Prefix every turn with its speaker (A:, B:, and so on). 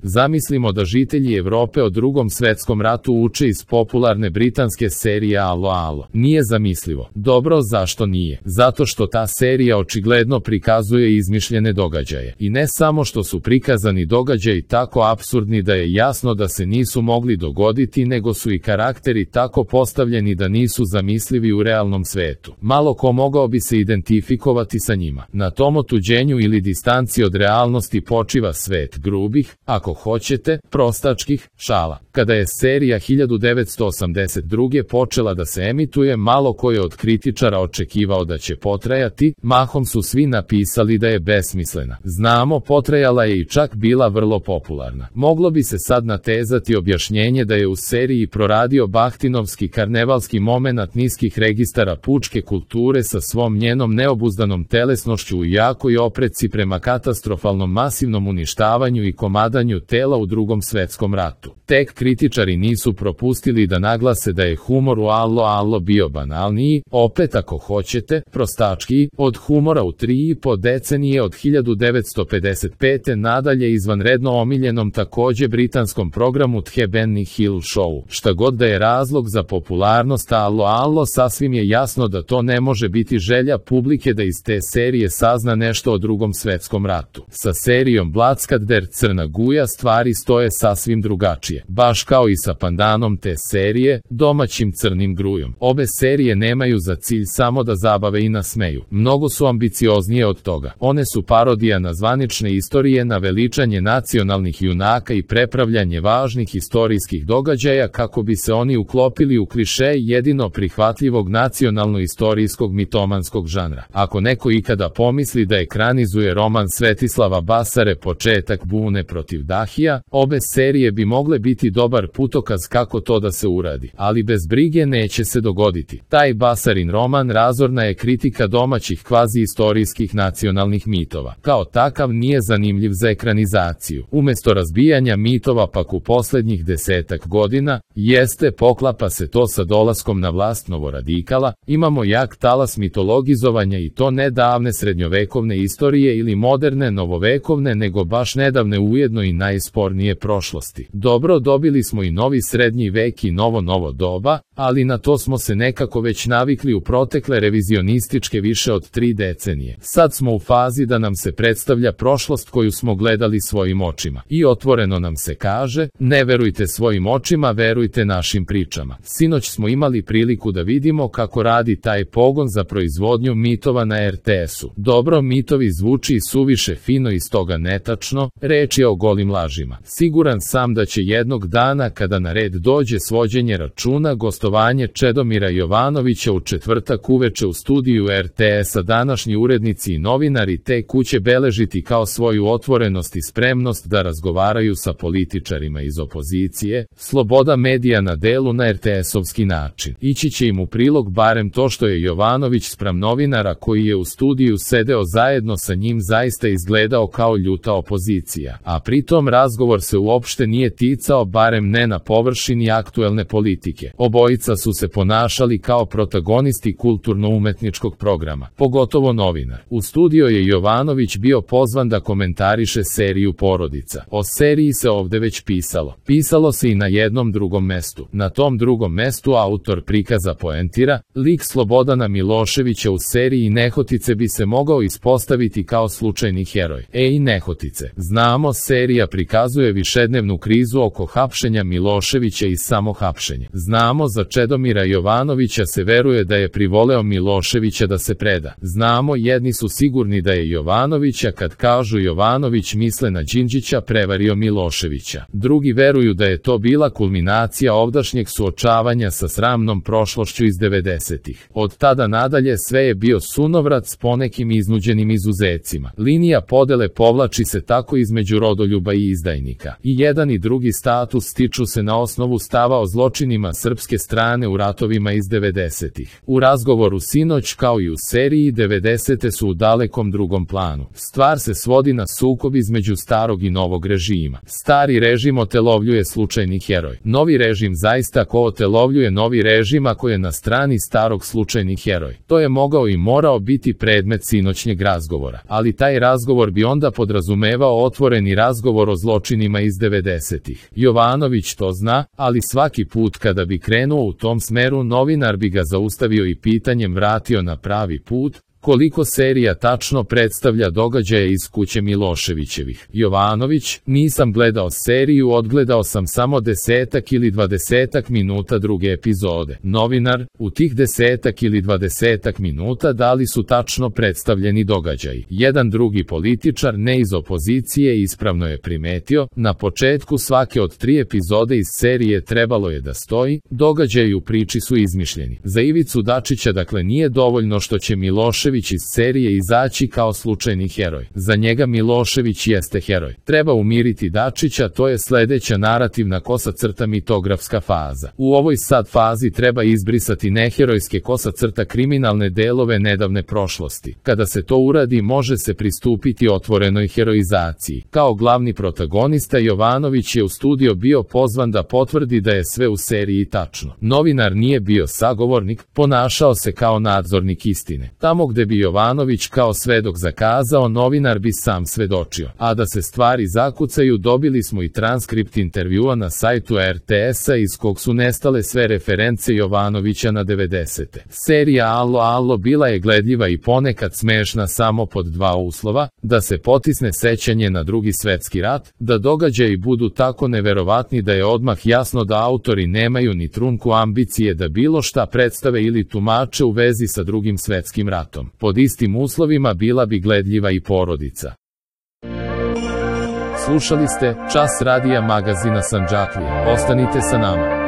A: Zamislimo da žitelji Evrope o Drugom svetskom ratu uče iz popularne britanske serije Alo Alo. Nije zamislivo. Dobro, zašto nije? Zato što ta serija očigledno prikazuje izmišljene događaje. I ne samo što su prikazani događaji tako apsurdni da je jasno da se nisu mogli dogoditi, nego su i karakteri tako postavljeni da nisu zamislivi u realnom svetu. Malo ko mogao bi se identifikovati sa njima. Na tom otuđenju ili distanci od realnosti počiva svet grubih, ako hoćete, prostačkih šala. Kada je serija 1982. počela da se emituje, malo ko je od kritičara očekivao da će potrajati, mahom su svi napisali da je besmislena. Znamo, potrajala je i čak bila vrlo popularna. Moglo bi se sad natezati objašnjenje da je u seriji proradio bahtinovski karnevalski momenat niskih registara pučke kulture sa svom njenom neobuzdanom telesnošću u jakoj opreci prema katastrofalnom masivnom uništavanju i komadanju tela u Drugom svetskom ratu. Tek kritičari nisu propustili da naglase da je humor u Alo Alo bio banalniji, opet ako hoćete, prostačkiji, od humora u 3,5 decenije od 1955. nadalje izvanredno omiljenom takođe britanskom programu The Benny Hill Show. Šta god da je razlog za popularnost Alo Alo, sasvim je jasno da to ne može biti želja publike da iz te serije sazna nešto o Drugom svetskom ratu. Sa serijom Bloodskadder Crna guja stvari stoje sasvim drugačije. Baš kao i sa pandanom te serije, domaćim Crnim grujom. Obe serije nemaju za cilj samo da zabave i nasmeju. Mnogo su ambicioznije od toga. One su parodija na zvanične istorije, na veličanje nacionalnih junaka i prepravljanje važnih istorijskih događaja kako bi se oni uklopili u kliše jedino prihvatljivog nacionalno-istorijskog mitomanskog žanra. Ako neko ikada pomisli da ekranizuje roman Svetislava Basare Početak bune protiv Dahija, obe serije bi mogle biti dobar putokaz kako to da se uradi, ali bez brige neće se dogoditi. Taj Basarin roman razorna je kritika domaćih kvazi-istorijskih nacionalnih mitova. Kao takav nije zanimljiv za ekranizaciju. Umesto razbijanja mitova pak u poslednjih 10 godina, poklapa se to sa dolaskom na vlast novoradikala, imamo jak talas mitologizovanja i to ne davne srednjovekovne istorije ili moderne novovekovne, nego baš nedavne ujedno i najspornije prošlosti. Dobro, dobili smo i novi srednji vek i novo doba, ali na to smo se nekako već navikli u protekle revizionističke više od 3 decenije. Sad smo u fazi da nam se predstavlja prošlost koju smo gledali svojim očima. I otvoreno nam se kaže, ne verujte svojim očima, verujte našim pričama. Sinoć smo imali priliku da vidimo kako radi taj pogon za proizvodnju mitova na RTS-u. Dobro, mitovi zvuči suviše fino i stoga netačno, reč je o golim lažima. Siguran sam da će jednog dana kada na red dođe svođenje računa, gostovanje Čedomira Jovanovića u četvrtak uveče u studiju RTS-a, današnji urednici i novinari te kuće beležiti kao svoju otvorenost i spremnost da razgovaraju sa političarima iz opozicije, sloboda medija na delu na RTS-ovski način. Ići će im u prilog barem to što je Jovanović spram novinara koji je u studiju sedeo zajedno sa njim zaista izgledao kao ljuta opozicija, a pritom razgovor se uopšte nije ticao, barem ne na površini aktuelne politike. Obojica su se ponašali kao protagonisti kulturno-umetničkog programa, pogotovo novinar. U studio je Jovanović bio pozvan da komentariše seriju Porodica. O seriji se ovde već pisalo. Pisalo se i na jednom drugom mestu. Na tom drugom mestu autor prikaza poentira, lik Slobodana Miloševića u seriji Nehotice bi se mogao ispostaviti kao slučajni heroj. Ej Nehotice. Znamo, serija prikazuje višednevnu krizu oko hapšenja Miloševića i samohapšenja. Znamo, za Čedomira Jovanovića se veruje da je privoleo Miloševića da se preda. Znamo, jedni su sigurni da je Jovanovića, kad kažu Jovanović misle na Đinđića, prevario Miloševića. Drugi veruju da je to bila kulminacija ovdašnjeg suočavanja sa sramnom prošlošću iz 90-ih. Od tada nadalje sve je bio sunovrat s ponekim iznuđenim izuzecima. Linija podele povlači se tako između rodoljuba i izdajnika. I jedan i drugi stav status stiču se na osnovu stava o zločinima srpske strane u ratovima iz 90-ih. U razgovoru sinoć kao i u seriji 90-te su u dalekom drugom planu. Stvar se svodi na sukob između starog i novog režima. Stari režim otelovljuje slučajni heroj. Novi režim zaista ko otelovljuje novi režim ako je na strani starog slučajni heroj. To je mogao i morao biti predmet sinoćnjeg razgovora, ali taj razgovor bi onda podrazumevao otvoreni razgovor o zločinima iz 90-ih. Jovanović to zna, ali svaki put kada bi krenuo u tom smeru novinar bi ga zaustavio i pitanjem vratio na pravi put, koliko serija tačno predstavlja događaje iz kuće Miloševićevih. Jovanović, nisam gledao seriju, odgledao sam samo 10 ili 20 minuta druge epizode. Novinar, u tih 10 ili 20 minuta da li su tačno predstavljeni događaji? Jedan drugi političar, ne iz opozicije, ispravno je primetio, na početku svake od 3 epizode iz serije trebalo je da stoji, događaji u priči su izmišljeni. Za Ivicu Dačića dakle nije dovoljno što će Milošević iz serije izaći kao slučajni heroj. Za njega Milošević jeste heroj. Treba umiriti Dačića, to je sledeća narativna kosa crta mitografska faza. U ovoj sad fazi treba izbrisati neherojske kosa crta kriminalne delove nedavne prošlosti. Kada se to uradi može se pristupiti otvorenoj heroizaciji. Kao glavni protagonista Jovanović je u studio bio pozvan da potvrdi da je sve u seriji tačno. Novinar nije bio sagovornik, ponašao se kao nadzornik istine. Tamo gde bi Jovanović kao svedok zakazao, novinar bi sam svedočio. A da se stvari zakucaju, dobili smo i transkript intervjua na sajtu RTS-a iz kog su nestale sve reference Jovanovića na 90-te. Serija Alo Alo bila je gledljiva i ponekad smešna samo pod 2 uslova, da se potisne sećanje na Drugi svetski rat, da događaji budu tako neverovatni da je odmah jasno da autori nemaju ni trunku ambicije da bilo šta predstave ili tumače u vezi sa Drugim svetskim ratom. Pod istim uslovima bila bi gledljiva i porodica. Slušali ste Čas radija magazina Sandžaklije. Ostanite sa nama.